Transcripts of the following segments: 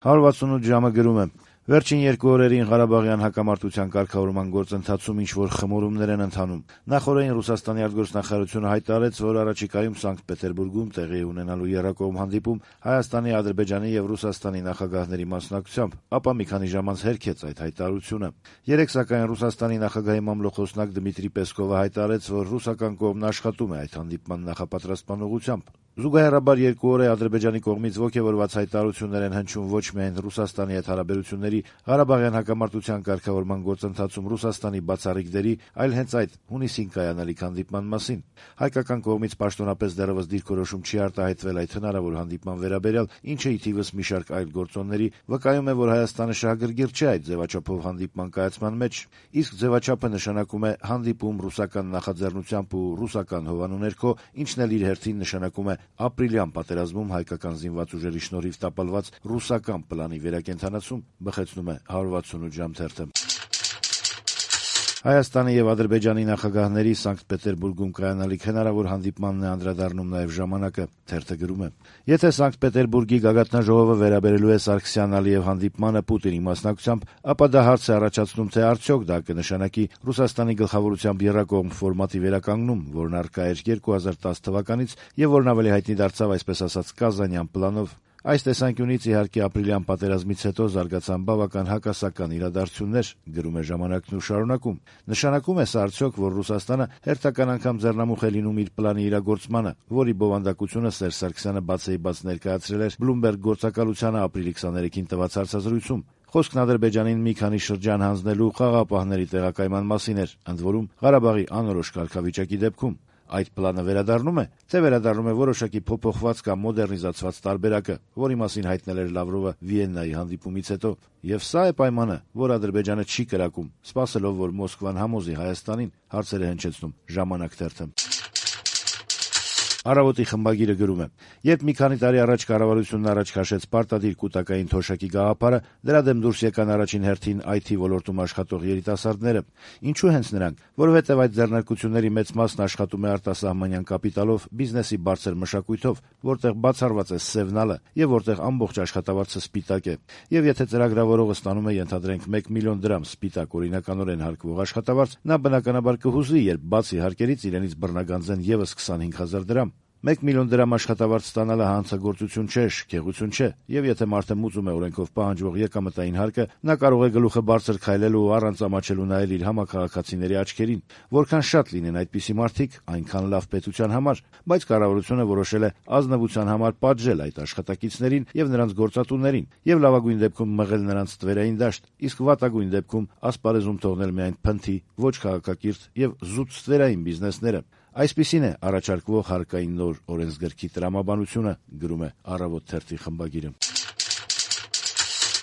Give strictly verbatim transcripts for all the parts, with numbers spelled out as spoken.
հարյուր վաթսունութ ժամը գրում է. Վերջին երկու օրերին Ղարաբաղյան հակամարտության կարգավորման գործընթացում ինչ-որ խմորումներ են ընթանում։ Նախօրեին Ռուսաստանի արտգործնախարարությունը հայտարարեց, որ առաջիկայում Սանկտ Պետերբուրգում տեղի ունենալու եռակողմ հանդիպում Հայաստանի, Ադրբեջանի եւ Ռուսաստանի նախագահների մասնակցությամբ, ապա մի քանի ժամ անց հերքեց այդ հայտարարությունը։ Երեկ սակայն Ռուսաստանի նախագահի մամլոխոսնակ Դմիտրի Պեսկովը հայտարարեց, որ ռուսական կողմն աշխատում է այդ հանդիպման նախապատրաստման ուղղությամբ։ Զուգահեռաբար երկու օր է Ադրբեջանի կողմից ոգևորված հայտարարություններ են հնչում ոչ միայն Ռուսաստանի հետ հարաբերությունների Ղարաբաղյան հակամարտության կարգավորման գործընթացում Ռուսաստանի բացառիկ դերի, այլ հենց այդ հունիսին կայանալիք հանդիպման մասին։ Հայկական կողմից պաշտոնապես դեռևս դիրքորոշում չի արտահայտվել այդ հնարավոր հանդիպման վերաբերյալ, ինչը ի թիվս մի շարք այլ գործոնների վկայում է, որ Հայաստանը շահագրգիռ չէ այդ ձևաչափով հանդիպման կայացման մեջ, իսկ ձևաչափը նշանակում է հանդիպում ռուսական նախաձեռնությամբ ու ռուսական հովանու ներքո, ինչն էլ իր հերթին նշանակում է ապրիլյան պատերազմում հայկական զինված ուժերի շնորհիվ տապալված ռուսական պլանի վերակենդանացում, բխեցնում է հարյուր վաթսունութ ժամ թերթը։ Հայաստանի եւ Ադրբեջանի նախագահների Սանկտ Պետերբուրգում կայանալիք հնարավոր հանդիպմանն է անդրադառնում նաեւ ժամանակը, թերթը գրում է. Եթե Սանկտ Պետերբուրգի գագաթնաժողովը վերաբերելու է Սարգսյան-Ալիև հանդիպմանը Պուտինի մասնակցությամբ, ապա դա հարց է առաջացնում, թե արդյոք դա կնշանակի Ռուսաստանի գլխավորությամբ եռակողմ ֆորմատի վերականգնում, որն առկա էր երկու հազար տասը թվականից եւ որն ավելի հայտնի դարձավ այսպես ասած Կազանյան պլանով։ Այս տեսանկյունից իհարկե ապրիլյան պատերազմից հետո զարգացան բավական հակասական իրադարձություններ, գրում է ժամանակն ու շարունակում։ Նշանակում է սա արդյոք, որ Ռուսաստանը հերթական անգամ ձեռնամուխ է լինում իր պլանի իրագործմանը, որի բովանդակությունը Սերժ Սարգսյանը բացեի բաց ներկայացրել էր Բլումբերգ գործակալությանը ապրիլի քսաներեքին տված հարցազրույցում։ Խոսքն Ադրբեջանին մի քանի շրջան հանձնելու խաղաղապահների տեղակայման մասին էր, ընդ որում Ղարաբաղի անորոշ կարգավիճակի դեպքում։ Այդ պլանը վերադառնում է, թե վերադառնում է որոշակի փոփոխված կամ մոդեռնիզացված տարբերակը, որի մասին հայտնել էր Լավրովը Վիեննայի հանդիպումից հետո։ Եվ սա է պայմանը, որ Ադրբեջանը չի կրակում, սպասելով, որ Մոսկվան համոզի Հայաստանին, հարցեր է հնչեցնում Ժամանակ թերթը։ Առավոտի խմբագիրը գրում է. երբ մի քանի տարի առաջ կառավարությունն առաջ քաշեց պարտադիր կուտակային թոշակի գաղափարը, դրա դեմ դուրս եկան առաջին հերթին այ թի ոլորտում աշխատող երիտասարդները։ Ինչու հենց նրանք? Որովհետև այդ ձեռնարկությունների մեծ մասն աշխատում է արտասահմանյան կապիտալով, բիզնեսի բարձր մշակույթով, որտեղ բացառված է սևնալը եւ որտեղ ամբողջ աշխատավարձը սպիտակ է։ Եվ եթե ծրագրավորողը ստանում է ենթադրենք մեկ միլիոն դրամ սպիտակ օրինականորեն հարկվող աշխատավարձ, նա բնականաբար կհուզվի, երբ բացի հարկերից իրենից բռնագանձեն եւս քսանհինգ հազար դրամ։ Մեկ միլիոն դրամ աշխատավարձ ստանալը հանցագործություն չէ, շքեղություն չէ, եւ եթե մարդը մուծում է օրենքով պահանջվող եկամտային հարկը, նա կարող է գլուխը բարձր քայլելու ու առանց ամաչելու նայել իր համակարգացիների աչքերին։ Որքան շատ լինեն այդպիսի մարդիկ, այնքան լավ պետության համար, բայց կառավարությունը որոշել է ազնվության համար պատժել այդ աշխատակիցներին եւ նրանց գործատուներին եւ լավագույն դեպքում մղել նրանց ստվերային դաշտ, իսկ վատագույն դեպքում ասպարեզում թողնել միայն փնթի, ոչ քաղաքակիրթ եւ զուտ ստվերային բիզնեսները։ Այսպիսին է առաջարկվող հարկային նոր օրենսգրքի տրամաբանությունը, գրում է Առավոտ թերթի խմբագիրը։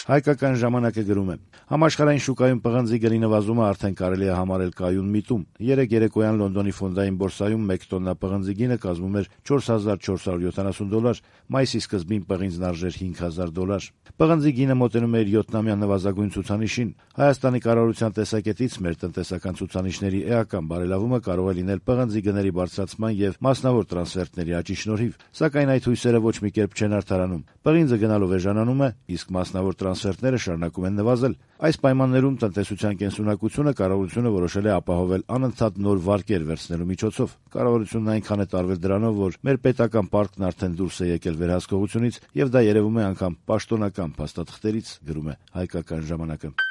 Հայկական ժամանակը գրում է. Համաշխարհային շուկայում պղնձի գնի նվազումը արդեն կարելի է համարել կայուն միտում։ Երեկ երեկոյան Լոնդոնի ֆոնդային բորսայում մեկ տոննա պղնձի գինը կազմում էր չորս հազար չորս հարյուր յոթանասուն դոլար, մայիսի սկզբին պղինձն արժեր հինգ հազար դոլար։ Պղնձի գինը մոտենում է իր յոթնամյա նվազագույն ցուցանիշին։ Հայաստանի կառավարության տեսակետից մեր տնտեսական ցուցանիշների էական բարելավումը կարող է լինել պղնձի գների բարձրացման եւ մասնավոր տրանսֆերտների աճի շնորհիվ, սակայն այդ հույսերը ոչ մի կերպ չեն արդարանում։ Պղինձը գնալով էժանանում է, իսկ մասնավոր տրանսֆերտները շարունակում են նվազել։ Այս պայմաններում տնտեսության կենսունակությունը կառավարությունը որոշել է ապահովել անընդհատ նոր վարկեր վերցնելու միջոցով։ Կառավարությունն այնքան է տարվել դրանով, որ մեր պետական պարկն արդեն դուրս է եկել վերահսկողությունից եւ դա երևում է անգամ պաշտոնական փաստաթղթերից, գրում է Հայկական ժամանակը։